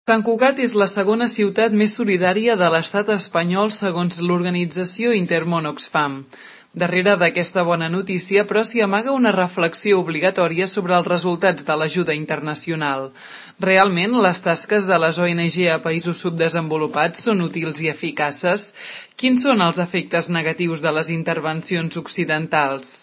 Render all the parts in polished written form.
Sant Cugat és la segona ciutat més solidària de l'estat espanyol segons l'organització Intermón Oxfam. Darrere d'aquesta bona notícia, però, s'hi amaga una reflexió obligatòria sobre els resultats de l'ajuda internacional. Realment, les tasques de les ONG a països subdesenvolupats són útils i eficaces? Quins són els efectes negatius de les intervencions occidentals?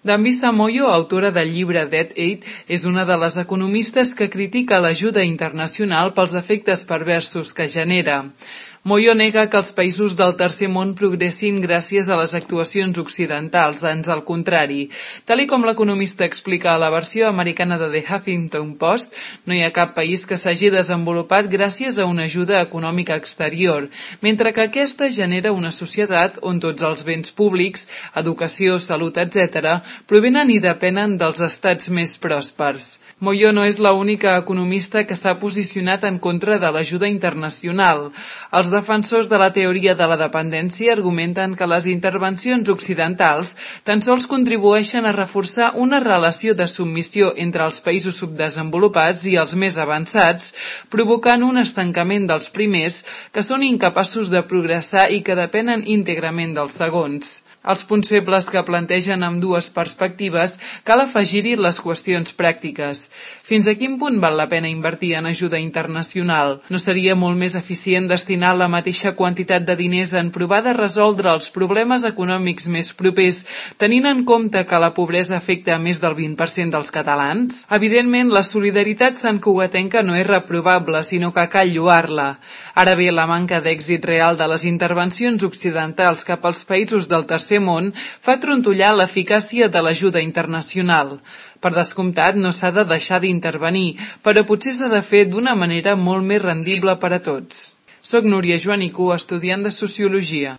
Dambisa Moyo, autora del llibre Dead Aid, és una de les economistes que critica l'ajuda internacional pels efectes perversos que genera. Moyo nega que els països del tercer món progressin gràcies a les actuacions occidentals, ans al contrari. Tal com l'economista explica a la versió americana de The Huffington Post, no hi ha cap país que s'hagi desenvolupat gràcies a una ajuda econòmica exterior, mentre que aquesta genera una societat on tots els béns públics, educació, salut, etc., provenen i depenen dels estats més pròspers. Moyo no és l'única economista que s'ha posicionat en contra de l'ajuda internacional. Els defensors de la teoria de la dependència argumenten que les intervencions occidentals tan sols contribueixen a reforçar una relació de submissió entre els països subdesenvolupats i els més avançats, provocant un estancament dels primers que són incapaços de progressar i que depenen íntegrament dels segons. Als punts febles que plantegen ambdues perspectives cal afegir-hi les qüestions pràctiques. Fins a quin punt val la pena invertir en ajuda internacional? No seria molt més eficient destinar la mateixa quantitat de diners en provar de resoldre els problemes econòmics més propers, tenint en compte que la pobresa afecta a més del 20% dels catalans? Evidentment, la solidaritat santcugatenca no és reprovable, sinó que cal lloar-la. Ara bé, la manca d'èxit real de les intervencions occidentals cap als països del tercer món fa trontollar l'eficàcia de l'ajuda internacional. Per descomptat, no s'ha de deixar d'intervenir, però potser s'ha de fer d'una manera molt més rendible per a tots. Soc Núria Joanico, estudiant de Sociologia.